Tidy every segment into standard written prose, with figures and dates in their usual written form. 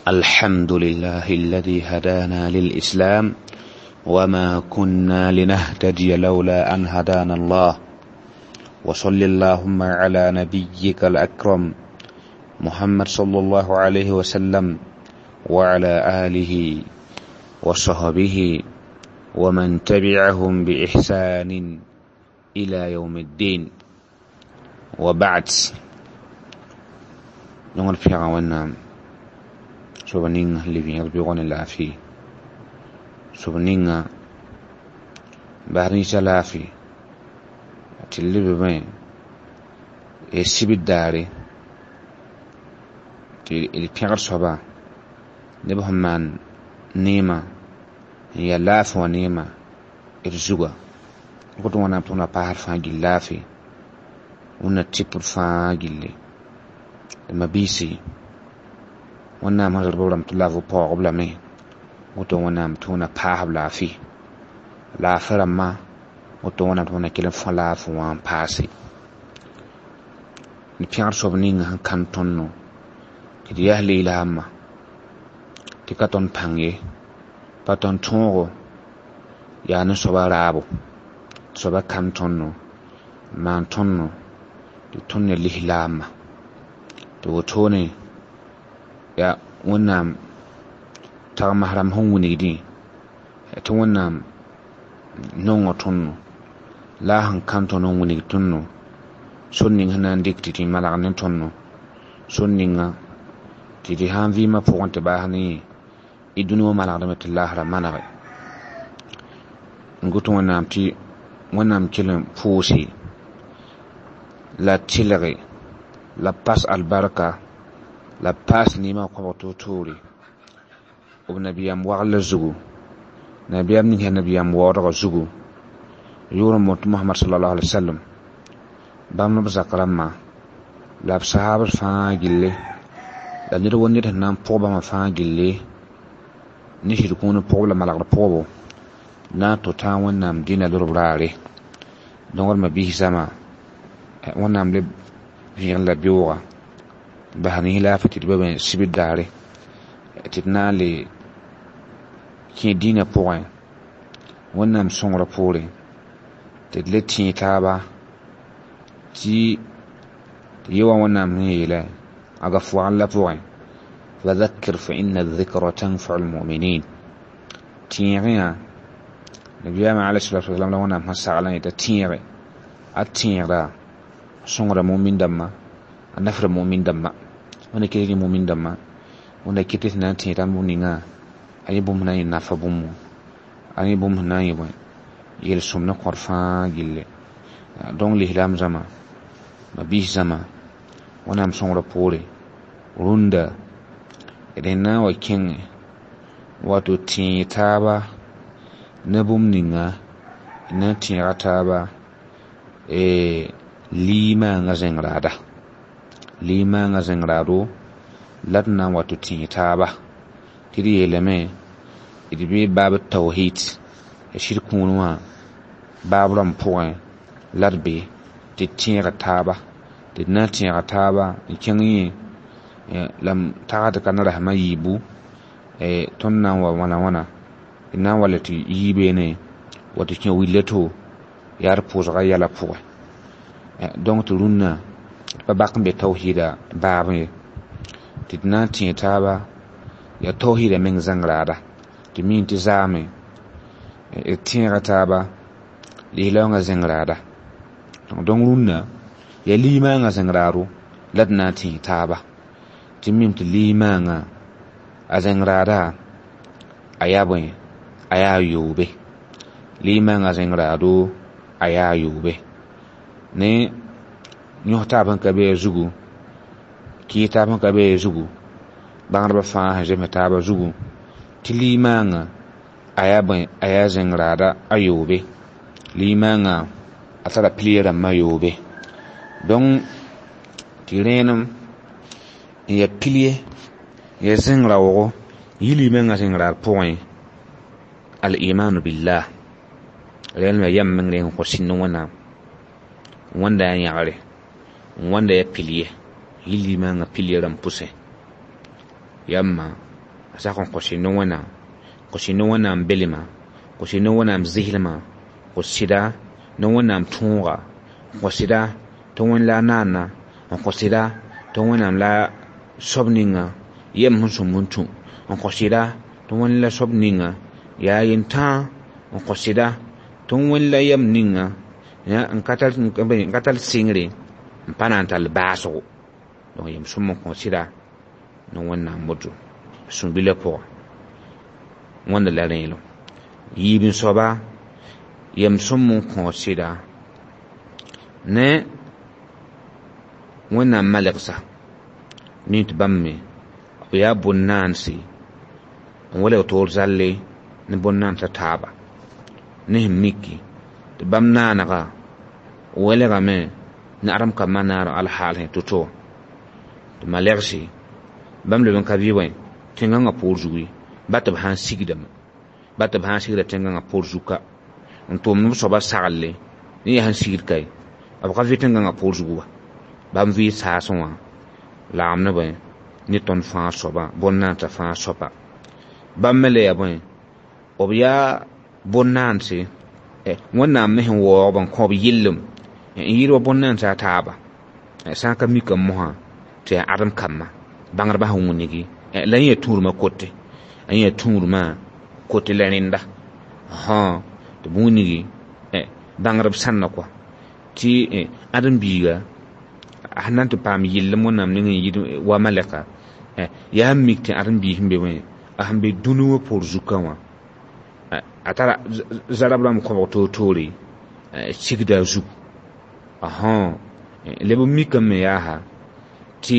الحمد لله الذي هدانا للإسلام وما كنا لنهتدي لولا أن هدانا الله وصل اللهم على نبيك الأكرم محمد صلى الله عليه وسلم وعلى آله وصحبه ومن تبعهم بإحسان إلى يوم الدين وبعد نقول في عوانا soba ninga lebẽeg bɩg ne laafɩ sob ninga bas rĩisa laafɩ tɩ lebme sibd daare tɩ d pẽgd soaba neb sẽn maan neema n yaa laafɩ wã neema d zuga woto wẽnnaam tɩ wẽnna paasd fãa gill laafɩ wẽnna tɩp d fãa gilli d mabiisi wẽnnaam sẽn rɩd b rãmb tɩ la b paoog-b lame woto wẽnnaam tɩ wẽnna paas b laafɩ laafɩ rãmbã woto wẽnnaam tɩ wẽnna kell n fõ laafɩ wã n paase d pẽgd soab ninga sẽn kãn tõndo tɩ d yaa lislaamã tɩ ka tõnd pãng ye pa tõnd tõogo yaa ne soaba raabo tɩ soaba kãn tõndo n maan tõndo tɩ tõnd ya lislaamã tɩ wotone yaa wẽnnaam tagms rãmb sẽn wilgdẽ tɩ wẽnnaam nongo tõndo la a sẽn kãn tõnd n wilg tõndo sor ning sẽn na n dɩk tɩ tɩ malg ne tõndo sor ninga tɩ tɩ sã n vɩɩmã pʋgẽ tɩ baas ne yẽ y dũni wã malgdame tɩ laasrã manege n got wẽnnaam tɩ wẽnnaam kell n pʋʋse la tɩlge la pas albarka la paas neemã kõbg toor-toore b nabiyaam waglã zugu nabiyaam ning yaa nabiyaam waoodgã zugu yʋʋr n boond tɩ Mohamad sallallahu alaihi wasallam bãmb b zak rãmbã la b sahaabd fãa gilli la ned wa ned sẽn na n pʋg bãmba fãa gilli ne sɩd kũun pʋgb la malgd pʋgbo na n tʋ tãag wẽnnaam dĩnã lorb raare donc d mabiis zãma wẽnnaam le vẽeg la beooga bas rĩis laafɩ tɩ d ba sibd daare tɩ d na n le kẽ dĩnã pʋgẽ wẽnnaam sõngrã poore tɩ d le tẽeg taaba tɩ ye wa wẽnnaam sẽn yeela a gaf wagl la pʋgẽ fadhakkir fa inna dhikra tanfau lmuminin tẽegẽ nabiyaamã alayhi salatu wasalam la wẽnnaam sẽn saglã yeta tẽege a tẽegda sõngra mumin dãmbã a nafra mumin dãmbã wẽnna ket rẽ mumin dãmbã wẽnna ket tɩ na n tẽeg tãmb ninga a yẽ bũmb na n yẽ nafa bũmb a yẽ bũmb sẽn na n yẽ bõe yel-sõm ne kõr fãa gilli donc lislaam zãma mabiis zãma wẽnnaam sõngrã poore rũndã d na n wa kẽngẽ wato tẽeg taaba ne bũmb ninga d na n tẽega taaba limaangã zẽng raada limaangã zẽng raado la d na n wa tɩ tẽeg taaba tɩ d yeelame d bee baab tawhid sɩd kũun wã baab rãmb pʋgẽ la d be tɩ d tẽega taaba tɩ d na n tẽega taaba n kẽng yẽ la m tagsd ka ne rasmã yiibu tõnd na n wa wãna wãna d na n wa le tɩ yii beene wa tɩ kẽ willa to yaa d pʋʋsga yɛla pʋgẽ donc tɩ rũnnã d pa bak n be tawhiida baabẽ ye tɩ d na n tẽeg taaba yaa tawhiida meng zãng raada tɩ mi tɩ zaame d tẽega taaba lislaoongã zẽng raada donc rũnnã yaa limaangã zẽng raado la d na n tẽeg taaba tɩ mim tɩ limaangã a zẽng raada a yaa bõe a yaa yoobe limaangã zẽng raado a yaa yoobe ne yõs taab sẽn ka be a zugu kɩɩs taab sẽn ka be a zugu bãngdbã fãa sẽn zems taabã zugu tɩ limaangã a yaa bõe a yaa zẽng raada a yoobe limaangã a tara pilier rãmbã yoobe donc tɩ rẽenem n yaa pilier n yaa zẽng raoogo yɩ limaangã zẽng raad pʋgẽ al-imanu billah rẽelem yaa yam meng rẽng n kõ sĩnd wẽnnaam wẽnda yaa yãgre wẽnda yaa pilier yɩ limaangã pilier rãmb pʋsẽ yamma A sak n kõ sɩd ne Wẽnnaam, kõ sɩd ne Wẽnnaam belma, kõ sɩd ne Wẽnnaam zɩslmã, kõ sɩda ne Wẽnnaam tõoga, kõ sɩda tɩ Wẽnd la a naana, n kõ sɩda tɩ Wẽnnaam la soab ninga yem sẽn sõmb n tũ, n kõ sɩda tɩ Wẽnd la soab ninga yaa yentãa, n kõ sɩda tɩ Wẽnd la yam ninga n ka tar sɩngre n pa na n tall baasgo. Donc yem sõm n kõ sɩda ne Wẽnnaam woto sũ-bilã pʋga wãnda la rẽelem. Yiib n soaba yem sõm n kõ sɩda ne Wẽnnaam malɛgsa mi tɩ bãmb me b yaa bõn-naanse n welg toor zalle ne bõn-naansã taaba ne sẽn miki tɩ bãmb naanega welgame ne adem kambã naaneg alhaal sẽn to-to tɩ malɛgse bãmb leb n ka bɩ wẽ tẽngãngã poor zugu ye ba tɩ b sã n sigdame ba tɩ b sã n sigda tẽngãngã poor zug ka n tʋʋmd b soabã saglle ne yaa sẽn sigd ka ye b ka vɩ tẽngãngã poor zugu wa bãmb vɩ saasẽ wã lagem ne bõe ne tõnd fãa soabã bõn-naansã fãa soaba bãmb me le yaa bõe b yaa bõn-naanse Wẽnnaam me sẽn waoog n kõ b yellem n yɩɩd wa bõn-naansã a taaba sã n ka mikame mosã tɩ yaa ãdem kambã bãngdbã sẽn wĩnigi la yẽ yaa tũudmã kote a yẽ yaa tũudmã kote la rẽnda tɩ b wĩnigi bãngdb sãnna kɔa tɩ ãdem biiga a sẽn na n tɩ paam yellem Wẽnnaam ning n yɩɩd wa malɛka yaa n mik tɩ ãdem biis sẽn be wẽ a sẽn be dũni wã poor zukã wã a tara zarab rãmb kõbg toor-toore sigda a zugu leb n mikame yaa tɩ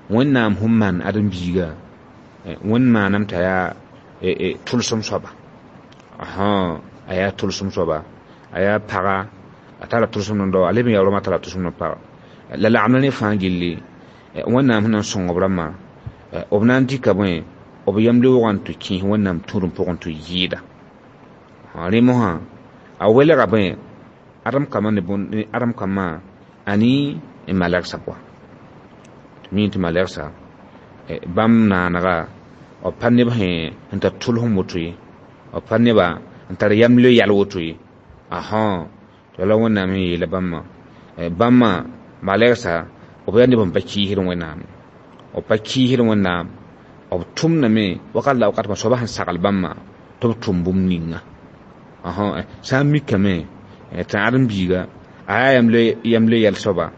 Wẽnnaam sẽn maan ãdem biiga Wẽnd maaname t'a yaa tʋlsem soaba a yaa tʋlsem soaba a yaa paga a tara tʋlsem n dao a leb n yaa rõma tara tʋlsem n paga la lagem ne fãa gilli Wẽnnaam sẽn na n sõng b rãmbã b na n dɩka bõe b yam leoogã n tɩ kẽes Wẽnnaam tũudem pʋgẽ tɩ yɩɩda rẽ mosã a welga bõe ãdem kambã ne ãdem kambã ani n malɛgsa pʋga tɩ mi tɩ malɛgsa bãmb naanega b pa neb sẽn tar tʋlsem woto ye b pa neba n tar yam le yɛl woto ye tɩ la Wẽnnaam sẽn yeela bãmbã bãmbã malɛgsa b yaa neb n pa kiisd Wẽnnaam b pa kiisd Wẽnnaam b tʋmdame wakat la wakat soabã sẽn sagl bãmbã tɩ b tʋm bũmb ninga sã n mikame tɩ ãdem biiga a yaa yam le yɛl soaba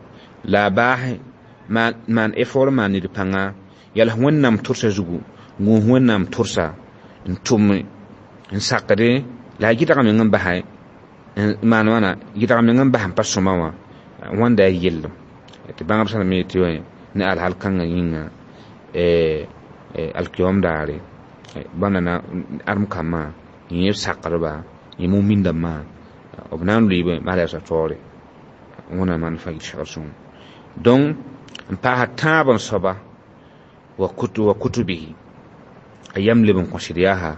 la a baas maan effort maan ned pãnga yals Wẽnnaam tʋrsa zugu gũus Wẽnnaam tʋrsa n tʋm n sakde la a gɩdg meng n basa maan wãna gɩdg meng n bas n pa sõma wã wãnda yaa yellem tɩ bãngb sã me tɩ ne alhal kãngã yĩnga alkiyom daare bãmb na ãdem kambã yẽ b sakdba yẽ mumindãmbã b na n loeebe malɛgsã taoore Wẽnnaam maan fãa yit segl sõngo donc n paasa tãab n soaba wa kutubihi a yam leb n kõ sɩd yaa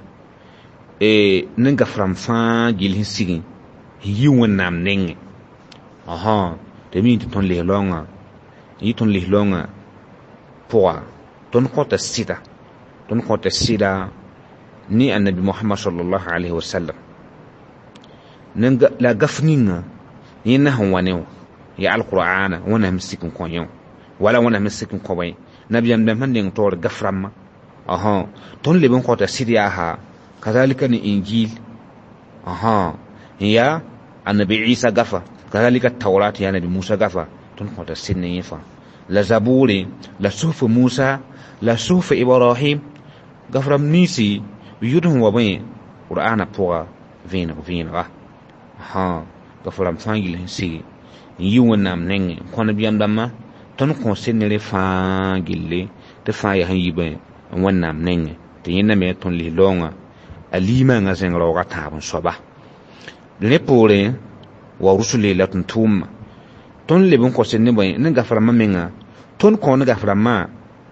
ne gaf-rãmb fãa gill sẽn sig n yi Wẽnnaam nengẽ tɩ mi tɩ tõnd lis-raoongã n yɩ tõnd lis-raoongã pʋga tõnd kõta sɩda tõnd kõta sɩda ne annabi Mohamad sallallahu alaihi wasallam la gaf ninga yẽnda sẽn wa ne wã yaa alqur'ana Wẽnnaam sik n kõ yẽ wã wala Wẽnnaam sik n kõ bõe nabiyaam dãmb sẽn neng taoor gaf rãmbã tõnd leb n kõta sɩd yaa kazalika ne injil n yaa annabi Isa gafa kazalika taurat yaa nabi Musa gafa tõnd kõta sɩd ne yẽ fãa la zabure la suhuf Musa la suhuf Ibrahim gaf rãmb ninsi yʋd sẽn wa bõe qur'ana pʋga vẽeneg vẽenega gaf rãmb fãa gill sẽn sigi n yi Wẽnnaam nengẽ n kõ nabiyaam dãmbã tõnd kõ sɩd ne rẽ fãa gilli tɩ fãa yaa sẽn yi bõe Wẽnnaam nengẽ tɩ yẽnda me tõnd lis-raoongã a liimãngã zẽng raoogã tãab n soaba rẽ poorẽ wa rusuli la tɩ tʋʋmã tõnd leb n kõ sɩd ne bõe ne gaf rãmbã menga tõnd kõ ne gaf rãmbã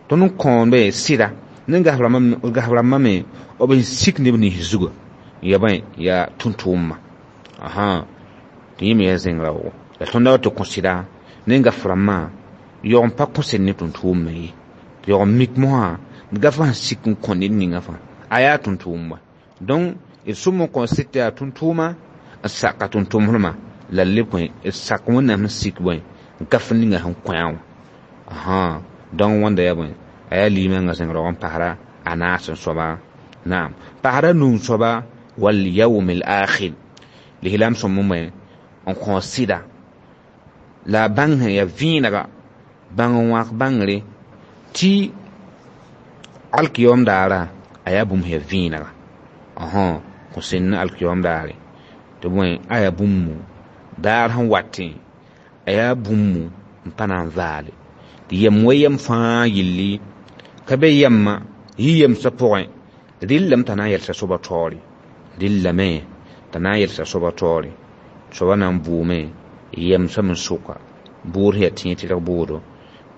tõnd n kõonbe sɩda ne gaf rãmbã me b n sik neb nins zuga ya bõe yaa tʋm-tʋʋmã tɩ yẽ me yaa zẽng raoogo la tõnd da tɩ kõ sɩda ne gaf rãmbã yaoog n pa kõ sɩd ne tʋm-tʋʋmã ye tɩ yaoog n mik mosã Gafa sik n kõ ned ninga fãa a yaa tʋm-tʋʋm wa donc d sʋm n kõ sɩd tɩ yaa tʋm-tʋʋma n saka tʋm-tʋmsdmã la leb kõ d sak wẽnnaam sẽn sik bõe gaf ninga sẽn kõ-a wã ãhã donc wãnda yaa bõe a yaa liimãngã zẽng raoog n pasra a naas n soaba naam pasra num soaba wal yawm al akhir lislaam sõm n bõe n kõ sɩda la a bãng sẽn yaa vẽenega bãng n wãk bãngre tɩ alkiyom daara a yaa bũmb sẽn yaa vẽenega kõ sẽnd ne alkiyom daare tɩ bõe a yaa bũmb daar sẽn watẽ a yaa bũmb n pa na n vaale tɩ yem wa yem fãa yilli ka be yɛmma yɩ yemsã pʋgẽ rɩllame t'a na n yɛlsa soaba taoore rɩllame t'a na n yɛlsa soaba taoore soaba na n bʋʋme yemsame n sʋka bʋʋd sẽn yaa tẽeg tɩrg bʋʋdo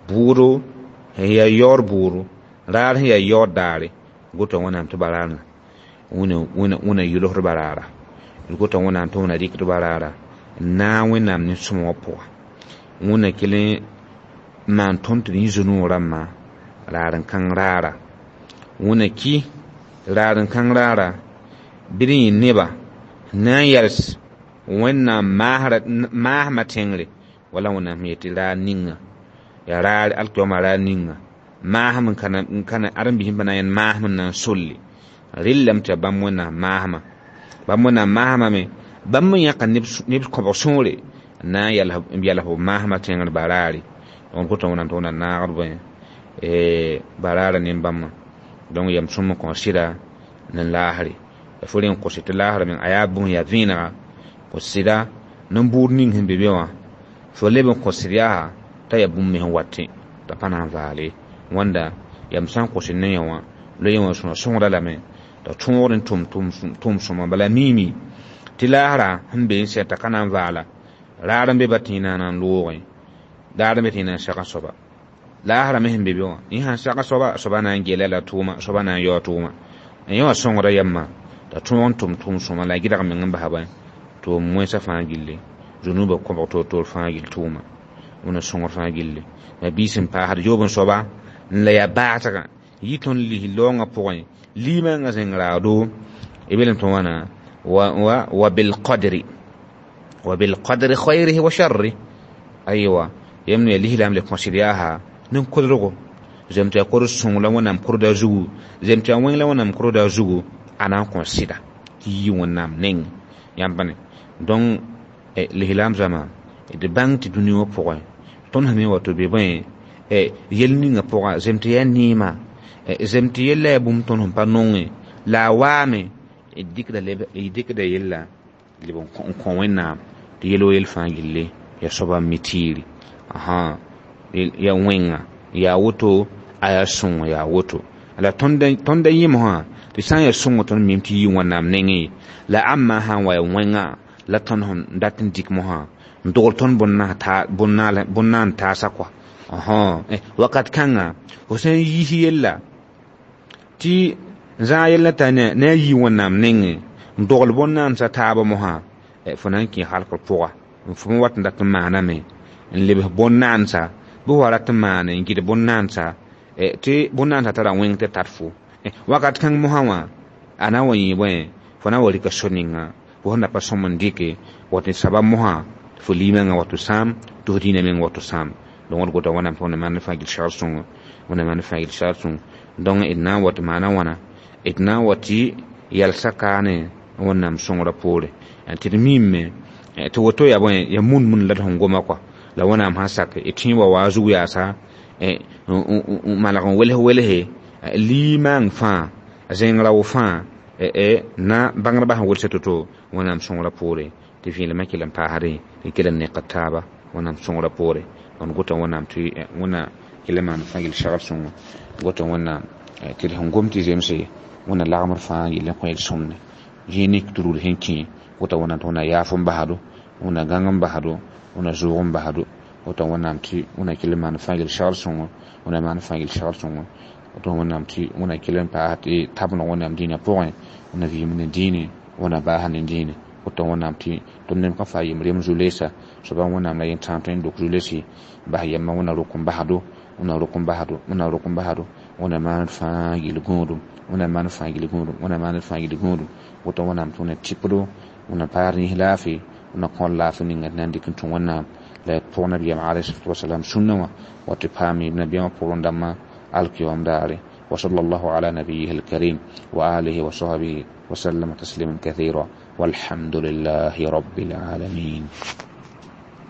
bʋʋdo sẽn yaa yaood bʋʋdo raar sẽn yaa yaood daare gota wẽnnaam tɩ baraarã wẽna yʋlsd baraara d gota wẽnnaam tɩ wẽna rɩkd baraara n naag wẽnnaam ne sõma wã pʋga wẽna kell n maan tõnd tɩ d yẽ zu-noog rãmbã raar n kãng raara wẽna ki raar n kãng raara bɩ d yẽ neba na n yɛls wẽnnaam maasmã tẽngre wala wẽnnaam sẽn yet tɩ raar ninga yaa raar alkiyooma raar ninga maasem n kana ãdem-biis pa na n yẽnd maasem n na n solle rɩllame tɩ yaa bãmb wẽnnaam maasmã bãmb wẽnnaam maasmã me bãmb me yãka neb kõbg sõore n na n yɛls b maasmã tẽngr baraare donc gota wẽnnaam tɩ wẽnna naagd bõe baraara ne bãmbã donc yam sõm n kõ sɩda ne laasre la fo rẽ n kose tɩ laasra meng a yaa bũmb yaa vẽenega kõ sɩda nin-buud ning sẽn be be wã fo leb n kõ sɩd yaa t'a yaa bũmb me sẽn watẽ t'a pa na n vaale wãnda yam sã n kos ne yã wã la yã wã sõna sõgda lame t'a tõogd n tʋm sõma bala miime tɩ laasra sẽn be n sɛ t'a ka na n vaala raar n be ba tẽ na n loogẽ daar n be tẽ na n seg a soaba laasra me sẽn be be wã yẽ sãn seg a soaba soaba na n gela la tʋʋma soaba na n yao tʋʋma n yã wã sõngda yamma t'a tõog n tʋm tʋʋm sõma la a gɩdg meng n basa bõe tʋʋm wẽnsã fãa gilli zũnubã kõbg toor-toor fãa gill tʋʋma wẽna sõngr fãa gilli la biis n paasd yoob n soaba n la yaa baasgã yɩ tõnd lis laoongã pʋgẽ liimãngã zẽng raado b yeelame tɩ wãna wa bilqadri wa bilqadri khayrihi wa sharri aywa yãmb yaa lislaam le kõsd yaasa nin-kodrgo zem tɩ yaa kod sõng la wẽnnaam kodda zugu zem tɩ yaa wẽng la wẽnnaam kodda zugu a na n kõ sɩda tɩ yi wẽnnaam neng yãmb bãne donc lislaam zãma d bãng tɩ dũni wã pʋgẽ tõnd sẽn me wa tɩ be bõe yel ninga pʋga zem tɩ yaa neema zem tɩ yella yaa bũmb tõnd sẽn pa nonge la a waame d dɩkda yella leb n kõ wẽnnaam tɩ yel wa yel fãa gilli yaa soaba n mi tiiri yaa wẽnga yaa woto a yaa sõngo yaa woto la tõnd a yẽmsã tɩ sã n yaa sõngo tõnd mim tɩ yɩ wẽnnaam nengẽ la ãmbã sã n wa yaa wẽnga la tõnd sẽn dat n dɩk mosã n dogl tõnd bõn-naan taasa kɔa wakat kãnga fo sã n yiis yella tɩ zãag yella t'a ne a yɩ wẽnnaam nengẽ n dogl bõn-naansã taaba mosã fo na n kẽ halkr pʋga fo me wat n dat n maaname n lebs bõn-naansa bɩ wa rat n maane n gɩd bõn-naansa tɩ bõn-naansa tara wẽng tɩ tar fo wakat kãng mosã wã a na n wa yẽ bõe fo na n wa rɩka so ninga fo sẽn da pa sõm n dɩke wa tɩ sabab mosã fo liimãngã wato sãam tɩ fo dĩinã meng wato sãam donc d gota wẽnnaam tɩ wẽnnaam maan fãa gil segr sõngo wẽnnaam maan fãa gil segr sõngo donc d na n wa tɩ maana wãna d na n wa tɩ yɛlsa kaane wẽnnaam sõngrã poore tɩ d miime tɩ woto yaa bõe yaa mun-mun la d sẽn goma kɔa la wẽnnaam sã sak d tẽ wa waa zug yaasa n maneg n wels welse liimãng fãa zẽng rao fãa na bãngdbã sẽn welsa to-to wẽnnaam sõngrã poore tɩ vẽelemã kell n paasdẽ tɩ kell n nekd taaba wẽnnaam sõngrã poore d gota wẽnnaam tɩ wẽnna kell n maan fãa gill segr sõngo gota wẽnnaam tɩ d sẽn gom tɩ zemse wẽnna lagmd fãa yell n kõ yel sõmne zĩig ning tɩ rugd sẽn kẽ gota wẽnnaam tɩ wẽnna yaaf n basdo wẽnna gãng n basdo wẽnna zʋʋg n basdo gota wẽnnaam tɩ wẽnna kell n maan fãa gill segr sõngo wẽnna maan fãa gill segr sõngo woto wẽnnaam tɩ wẽnna kell n paas tɩ tabneg wẽnnaam dĩinã pʋgẽ wẽnna vɩɩm ne dĩine wẽnna baasa ne dĩine woto wẽnnaam tɩ tõnd neb ka faa yem rem zu-leesa soaba wẽnnaam la yẽ tãag tõe n dok zu-lesi bas yɛmma wẽnna rok n basdo wẽnna rok n basdo wẽnna rok n basdo Wẽnnaam maan fãa yel-gũudum, Wẽnnaam maan fãa yel-gũudum, Wẽnnaam maan fãa yel-gũudum. Woto Wẽnnaam tɩ Wẽnnaam tɩpdo, Wẽnnaam paas rĩis laafɩ, Wẽnnaam kõ laafɩ ninga tɩ na n dɩk n tũ Wẽnnaam la y pʋg nabiyaam alayhi wasalam sũnna wã wa tɩ paam nabiyaamã pʋrẽ dãmbã alkiyom daare. وصلى الله على نبيه الكريم وآله وصحبه وسلم تسليما كثيرا، والحمد لله رب العالمين.